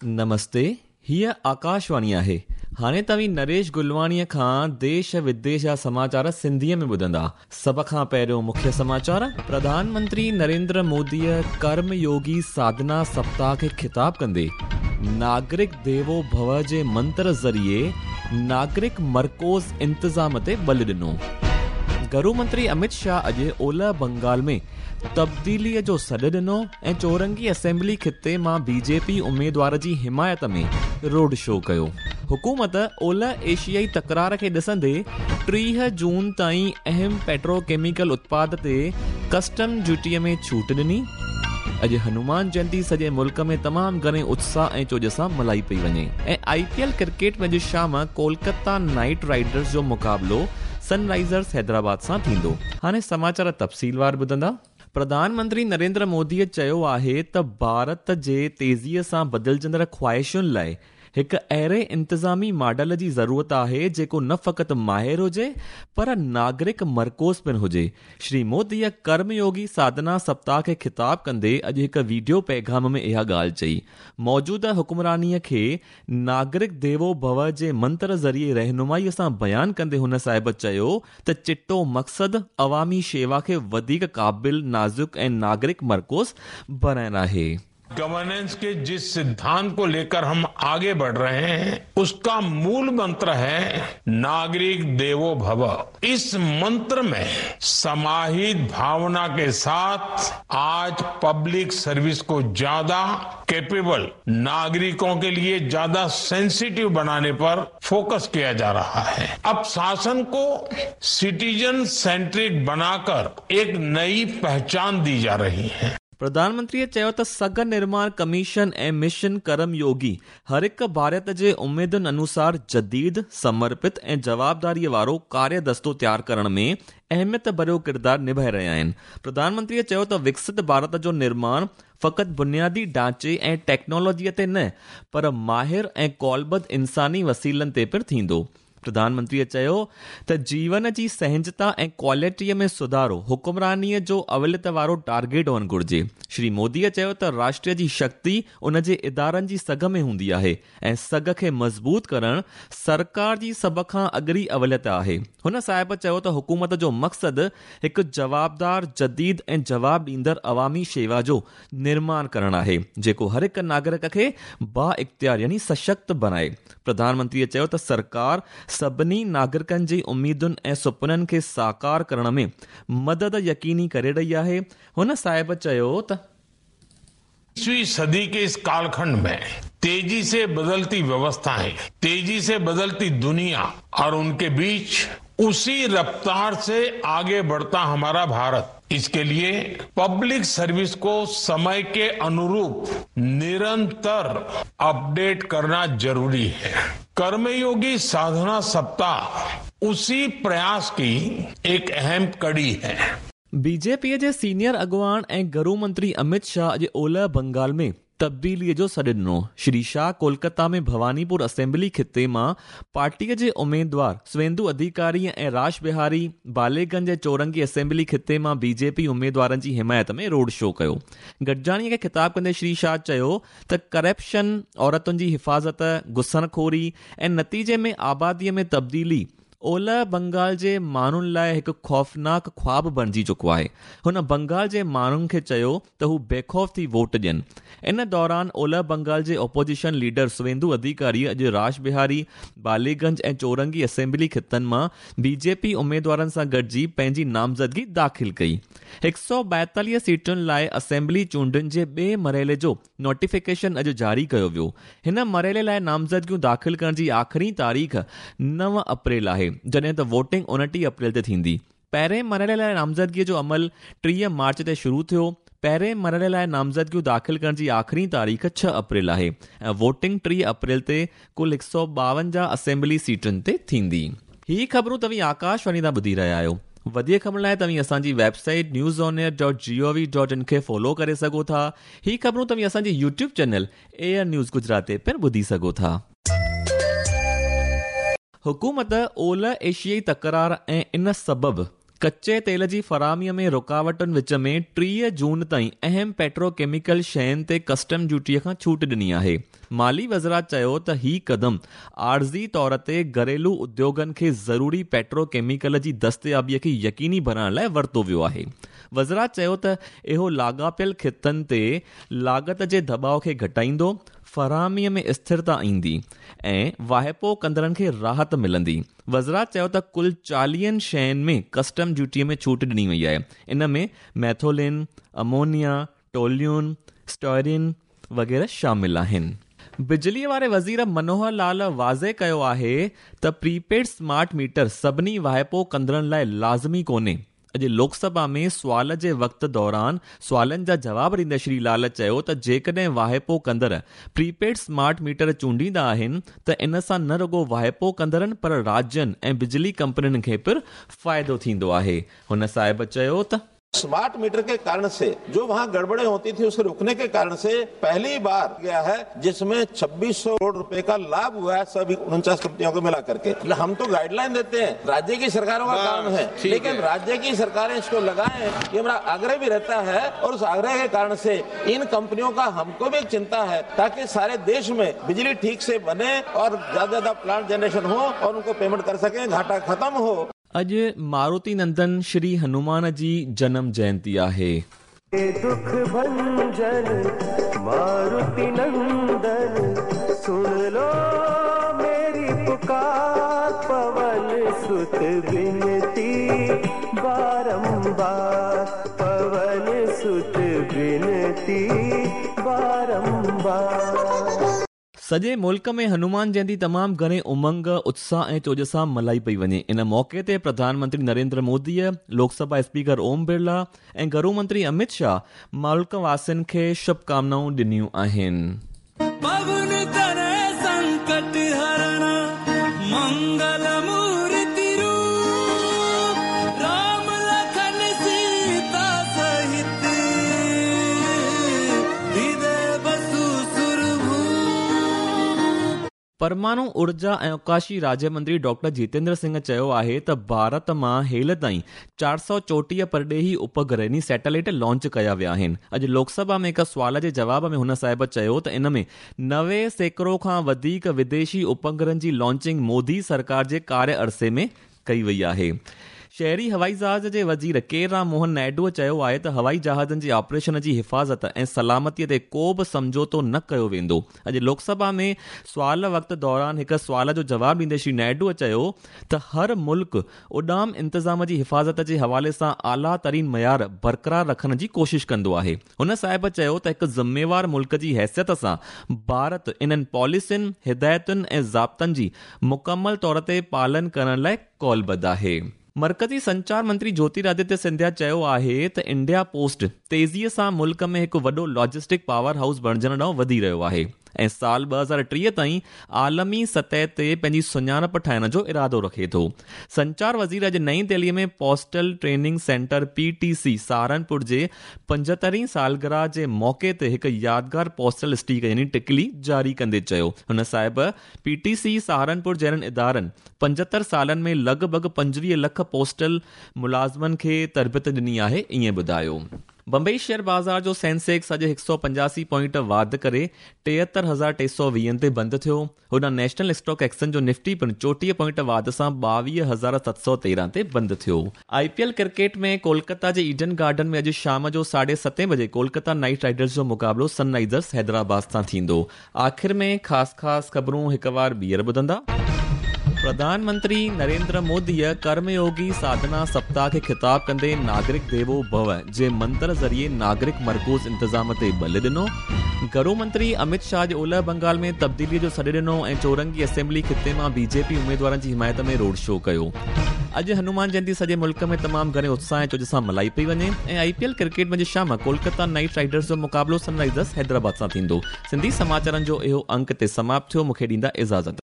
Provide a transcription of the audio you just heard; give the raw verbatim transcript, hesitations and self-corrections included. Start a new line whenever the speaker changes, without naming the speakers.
نمستي، هيءَ آڪاشواڻي آهي. هاڻي توهين نريش گلواڻيءَ کان ديش وديش جا سماچار سنڌيءَ ۾ ٻڌندا. سڀ کان پهريون مکيه سماچار. پرڌان منتري نريندر موديءَ ڪرم يوگي ساڌنا سپتاهه کي خطاب ڪندي ناگرڪ ديوو ڀو جي منتر ذريعي ناگرڪ مرڪوز انتظام تي ٻل ڏنو. گهرو منتري امت شاهه اڄ اولهه بنگال ۾ تبديليءَ جو سڏ ڏنو ۽ چورنگي اسيمبلي خطي مان بي جي پي اميدوار جي حمايت ۾ روڊ شو ڪيو. حڪومت اولهه ايشيائي تڪرار کي ڏسندي ٽيهه جون تائين اهم پيٽروڪيميڪل اتپاد تي ڪسٽم ڊيوٽيءَ ۾ ڇوٽ ڏني. اڄ هنومان جينتي سڄي ملڪ ۾ تمام گهڻي اتساهه ۽ چوڄ سان ملهائي پئي وڃي. ۽ آئي پي ايل ڪرڪيٽ ۾ اڄ شام ڪولڪتا نائيٽ رائيڊرز جو مقابلو سن رائيزرز حيدرآباد سان ٿيندو. هاڻي سماچار تفصيلوار ٻڌندا. پرڌان منتري نريندر موديءَ چيو آهي ته ڀارت جي تيزيءَ سان بدلجندڙ خواهشن لاءِ هڪ اهڙي انتظامي ماڊل جي ضرورت آهي جيڪو نه فقط ماهر هجي پر ناگرڪ مرڪوز پڻ هجي. شري موديءَ ڪرميوگي ساڌنا سپتاهه کي خطاب ڪندي اڄ هڪ وڊيو پيغام ۾ اها ڳالهه چئي. موجوده حڪمرانيءَ کي ناگرڪ ديوو ڀو جي منتر ذريعي رهنمائيءَ سان بيان ڪندي هن صاحب چيو ته چٽو مقصد عوامي شيوا کي وڌيڪ قابل، نازڪ ۽ ناگرڪ مرڪوز بڻائڻ آهي.
गवर्नेंस के जिस सिद्धांत को लेकर हम आगे बढ़ रहे हैं उसका मूल मंत्र है नागरिक देवो भव। इस मंत्र में समाहित भावना के साथ आज पब्लिक सर्विस को ज्यादा कैपेबल, नागरिकों के लिए ज्यादा सेंसिटिव बनाने पर फोकस किया जा रहा है। अब शासन को सिटीजन सेंट्रिक बनाकर एक नई पहचान दी जा रही है।
प्रधानमंत्रीअ चयो त सघ निर्माण कमीशन ऐं मिशन कर्मयोगी हर हिकु भारत जे उमेदुनि अनुसार जदीद, समर्पित ऐं जवाबदारीअ वारो कार्यदस्तो तयार करण में अहमियत भरियो किरदारु निभाए रहिया आहिनि। प्रधानमंत्रीअ चयो त विकसित भारत जो निर्माण फ़क़ति बुनियादी ढांचे ऐं टेक्नोलॉजीअ ते न पर माहिर ऐं क़ौलबद्ध इंसानी वसीलनि ते पिणु थींदो। प्रधानमंत्रीअ चयो त जीवन जी सहजता ऐं क्वालिटीअ में सुधारो हुकुमरानीअ जो अवलियत वारो टारगेट हुअणु घुरिजे। श्री मोदीअ चयो त राष्ट्र जी शक्ति उन जे इदारनि जी सघ में हूंदी आहे ऐं सघ खे मज़बूत करणु सरकार जी सभ खां अॻिरी अवलियत आहे। हुन साहिब चयो त हुकूमत जो मक़सदु हिकु जवाबदार, जदीद ऐं जवाब ॾींदड़ अवामी शेवा जो निर्माण करणु आहे जेको हर हिकु नागरिक खे बा इख़्तियार यानी सशक्त बणाए। प्रधानमंत्रीअ चयो त सरकार सभिनी नागरिकनि जी उमेदुनि ऐं सुपननि खे साकार करण में मदद यकीनी करे रही आहे। हुन साहिब चयो त
इक्कीसवीं सदी के इस कालखंड में तेजी से बदलती व्यवस्थाएं, तेजी से बदलती दुनिया और उनके बीच उसी रफ्तार से आगे बढ़ता हमारा भारत, इसके लिए पब्लिक सर्विस को समय के अनुरूप निरंतर अपडेट करना जरूरी है। कर्मयोगी साधना सप्ताह उसी प्रयास की एक अहम कड़ी है।
बीजेपीअ जे सीनियर अॻुवान ऐं घरू मंत्री अमित शाह अॼु ओलह बंगाल में तब्दीलीअ जो सॾु ॾिनो। श्री शाह कोलकाता में भवानीपुर असेंबली ख़िते मां पार्टीअ जे उमेदवार सुवेंदु अधिकारी ऐं राश बिहारी बालेगंज ऐं चौरंगी असेंबली ख़िते मां बीजेपी उमेदवारनि जी हिमायत में रोड शो कयो। गॾिजाणीअ खे ख़िताब कंदे श्री शाह चयो त करप्शन, औरतुनि जी हिफ़ाज़त, घुसणखोरी ऐं नतीजे में आबादीअ में तब्दीली ओलह बंगाल जे माण्हुनि लाइ हिकु ख़ौफ़नाक ख़्वाब बणिजी चुको आहे। हुन बंगाल जे माण्हुनि खे चयो त हू बेख़ौफ़ थी वोट ॾियनि। इन दौरान ओलह बंगाल जे ओपोज़िशन लीडर सुवेंदु अधिकारी अॼु राश बिहारी, बालीगंज ऐं चौरंगी असेंबली ख़ितनि मां बीजेपी उमेदवारनि सां गॾिजी पंहिंजी नामज़दगी दाख़िल कई। हिकु सौ ॿाएतालीह सीटुनि लाइ असेंबली चूंडुनि जे ॿिए मरहले जो नोटिफिकेशन अॼु जारी कयो वियो। हिन मरहले लाइ नामज़दगियूं दाख़िल करण जी आख़िरी तारीख़ नव अप्रैल आहे, जॾहिं त वोटिंग उणिटीह अप्रैल ते थींदी। पहिरें मरहले लाइ नामज़दगीअ जो अमल टीह मार्च ते शुरू थियो। पहिरें मरहले लाइ नामज़दगियूं दाख़िल करण जी आख़िरी तारीख़ छह अप्रैल आहे ऐं वोटिंग टीह अप्रैल ते कुल हिकु सौ ॿावंजाह असेंबली सीटुनि ते थींदी। हीअ ख़बरूं तव्हीं आकाशवाणी तां ॿुधी रहिया आहियो। वधीक ख़बरुनि लाइ तव्हीं असांजी website news on air dot G O V dot in खे फॉलो करे सघो था। हीअ ख़बरूं तव्हीं असांजी YouTube channel air news Gujarat ते पिणु ॿुधी सघो था। हुकूमत ओलह एशियाई तकरार ऐं इन सबबु कच्चे तेल जी फराहमीअ में रुकावटुनि विच में टीह जून ताईं अहम पेट्रोकेमिकल शयुनि ते कस्टम ड्यूटीअ खां छूट ॾिनी आहे। माली वज़रात चयो त ही कदम आर्ज़ी तौर ते घरेलू उद्योगनि खे ज़रूरी पेट्रोकेमिकल जी दस्तयाबीअ खे यकीनी बणाइण लाइ वरितो वियो आहे। वज़रात चयो त इहो लाॻापियल ख़ितनि ते लागत जे दबाव खे घटाईंदो, फराहमीअ में स्थिरता ईंदी ऐं वाहिपो कंदड़नि खे राहत मिलंदी। वज़रात चयो त कुल चालीहनि शयुनि में कस्टम ड्यूटीअ में छूट ॾिनी वई आहे। इन में मैथोलिन, अमोनिया, टोल्यून, स्टोरिन वग़ैरह शामिल आहिनि। बिजलीअ वारे वज़ीर मनोहर लाल वाज़े कयो आहे त प्रीपेड स्मार्ट मीटर सभिनी वाहिपो कंदड़नि लाइ लाज़मी कोन्हे। अॼु लोकसभा में सुवाल जे वक़्त दौरान सुवालनि जा जवाब ॾींदे श्री लाल चयो त जेकॾहिं वाहिपो कंदड़ प्रीपेड स्मार्ट मीटर चूंडींदा आहिनि त इन सां न रुगो वाहिपो कंदड़नि पर राज्यनि ऐं बिजली कंपनियुनि खे पिणु फ़ाइदो थींदो आहे। हुन साहिब चयो त
स्मार्ट मीटर के कारण से जो वहाँ गड़बड़े होती थी उसे रोकने के कारण से पहली बार गया है जिसमें छब्बीस सौ करोड़ रुपए का लाभ हुआ है सभी उनचास कंपनियों को मिला करके। हम तो गाइडलाइन देते हैं, राज्य की सरकारों का काम है, लेकिन राज्य की सरकारें इसको लगाएं, ये हमारा आग्रह भी रहता है। और उस आग्रह के कारण से इन कंपनियों का हमको भी चिंता है ताकि सारे देश में बिजली ठीक से बने और ज्यादा ज्यादा प्लांट जनरेशन हो और उनको पेमेंट कर सके, घाटा खत्म हो।
अॼु मारुति नंदन श्री हनुमान जी जनम जयंती आहे।
दुख भंजन मारुति नंदन सुन लो मेरी पुकार, पवन सुत बिनती बारंबार, पवन सुत बिनती बारंबार।
सॼे मुल्क में हनुमान जयंती तमामु घणे उमंग, उत्साह ऐं चोज सां मल्हाई पई वञे। इन मौक़े ते प्रधानमंत्री नरेंद्र मोदीअ, लोकसभा स्पीकर ओम बिरला ऐं गृह मंत्री अमित शाह मुल्क वासियुनि खे शुभकामनाऊं ॾिनियूं आहिनि। परमाणु ऊर्जा ऐं अवकाशी राज्य मंत्री डॉक्टर जितेंद्र सिंह चयो आहे त भारत मां हेल ताईं चारि सौ चोटीह परॾेही उपग्रह यानी सैटेलाइट लॉन्च कया विया आहिनि। अॼु लोकसभा में हिकु सुवाल जे जवाब में हुन साहिब चयो त इन में नवे सैकड़ो खां वधीक विदेशी उपग्रहनि जी लॉन्चिंग मोदी सरकार जे कार्य अरसे में कई वई आहे। शहरी हवाई जहाज़ जे वज़ीर के राम मोहन नायडूअ चयो आहे त हवाई जहाज़नि जे ऑपरेशन जी हिफ़ाज़त ऐं सलामतीअ ते को बि सम्झौतो न कयो वेंदो। अॼु लोकसभा में सुवाल वक़्त दौरान हिकु सुवाल जो जवाब ॾींदे श्री नायडूअ चयो त हर मुल्क उॾाम इंतज़ाम जी हिफ़ाज़त जे हवाले सां आला तरीन मयार बरक़रार रखण जी कोशिश कंदो आहे। हुन साहिब चयो त हिकु ज़िम्मेवार मुल्क जी हैसियत सां भारत इन्हनि पॉलिसियुनि, हिदायतुनि ऐं ज़ाब्तनि जी मुकमल तौर ते पालन करण लाइ कौलबद्ध आहे। मरकज़ी संचार मंत्री ज्योतिरादित्य सिंधिया चयो आहे त इंडिया पोस्ट तेज़ीअ सां मुल्क में हिकु वॾो लॉजिस्टिक पावर हाउस बणिजण ॾांहुं वधी रहियो आहे ऐं साल ॿ हज़ार टीह ताईं आलमी सतह ते पंहिंजी सुञाणप ठाहिण जो इरादो रखे थो। संचार वज़ीर अॼु नई दिल्लीअ में postal training centre P T C Saharanpur जे पंजहतरीं सालगिरह जे मौक़े ते हिकु यादगार पोस्टल स्टीक यानी टिकली जारी कंदे चयो। हुन साहिब पी टी सी सहारनपुर जहिड़नि इदारनि पंजहतरि सालनि में लॻभॻि पंजवीह लख पोस्टल मुलाज़िमनि खे तरबियत ॾिनी आहे, ईअं ॿुधायो। बंबई शेयर बाज़ार जो सेंसेक्स अॼु हिकु सौ पंजासी पॉइंट वाध करे टेहतरि हज़ार टे सौ वीहनि ते बंदि थियो। होॾां नेशनल स्टॉक एक्सचेंज जो निफ्टी पिणु चोटीह पॉइंट वाध सां ॿावीह हज़ार सत सौ तेरहं ते बंदि थियो। I P L cricket में कोलकाता जे ईडन गार्डन में अॼु शाम जो साढे सतें बजे कोलकाता नाइट राइडर्स जो मुक़ाबिलो सनराइज़र्स हैदराबाद सां थींदो। आख़िर में ख़ासि ख़ासि ख़बरूं हिकु बार ॿीहर ॿुधंदा। प्रधानमंत्री नरेंद्र मोदीअ कर्मयोगी साधना सप्ताह खे ख़िताब कंदे नागरिक देवो भव जे मंत्र ज़रिए नागरिक मरकूज़ इंतज़ाम ते बल ॾिनो। गृह मंत्री अमित शाह ओलह बंगाल में तब्दीलीअ जो सॾु ॾिनो ऐं चौरंगी असेंबली ख़िते मां बीजेपी उमेदवारनि जी हिमायत में रोड शो कयो। अॼु हनुमान जयंती सॼे मुल्क में तमामु घणे उत्साह ऐं चोज सां मल्हाई पई वञे ऐं I P L cricket में शाम कोलकाता नाइट राइडर्स जो मुक़ाबिलो सनराइज़र्स हैदराबाद सां थींदो। सिंधी समाचारनि जो इहो अंक ते समाप्त थियो। मूंखे ॾींदा इजाज़त।